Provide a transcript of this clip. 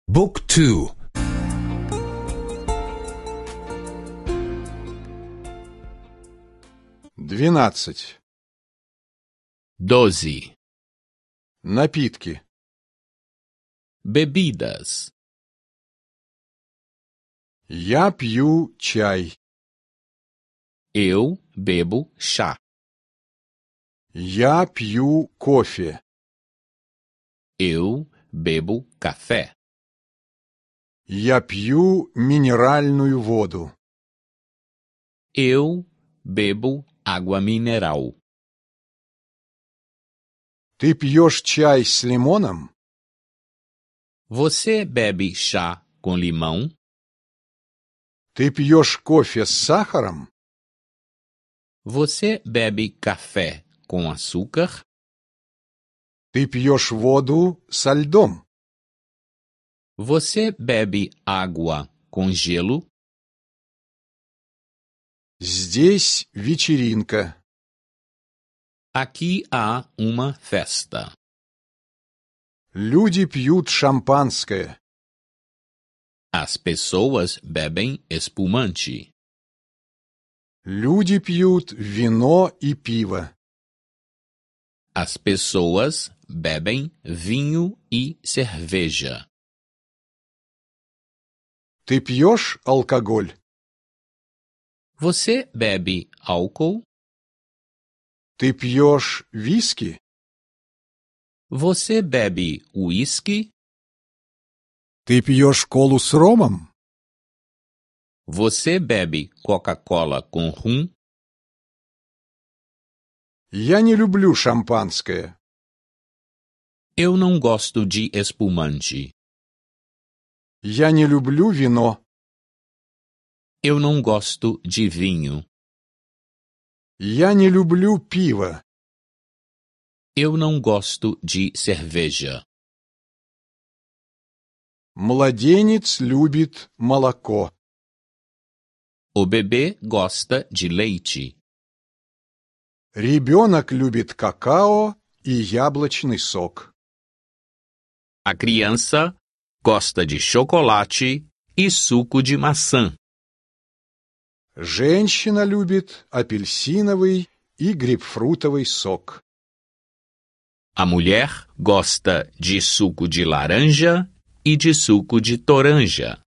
Book 2. 12. 12. Напитки. Bebidas. Я пью чай. Eu bebo chá. Я пью кофе. Eu bebo café. Я пью минеральную воду. Eu bebo água mineral. Ты пьешь чай с лимоном? Você bebe chá com limão? Ты пьешь кофе с сахаром? Você bebe café com açúcar? Ты пьешь воду со льдом? Você bebe água com gelo? Здесь вечеринка. Aqui há uma festa. Люди пьют шампанское. As pessoas bebem espumante. Люди пьют вино и пиво. As pessoas bebem vinho e cerveja. Ты пьешь алкоголь? Você bebe álcool? Ты пьешь виски? Você bebe uísque? Ты пьешь колу с ромом? Você bebe Coca-Cola com rum? Я не люблю шампанское. Eu não gosto de espumante. Я не люблю вино. Eu não gosto de vinho. Я не люблю пиво. Eu não gosto de cerveja. Младенец любит молоко. O bebê gosta de leite. Ребенок любит какао и яблочный сок. A criança gosta de chocolate e suco de maçã. Женщина любит апельсиновый и грейпфрутовый сок. A mulher gosta de suco de laranja e de suco de toranja.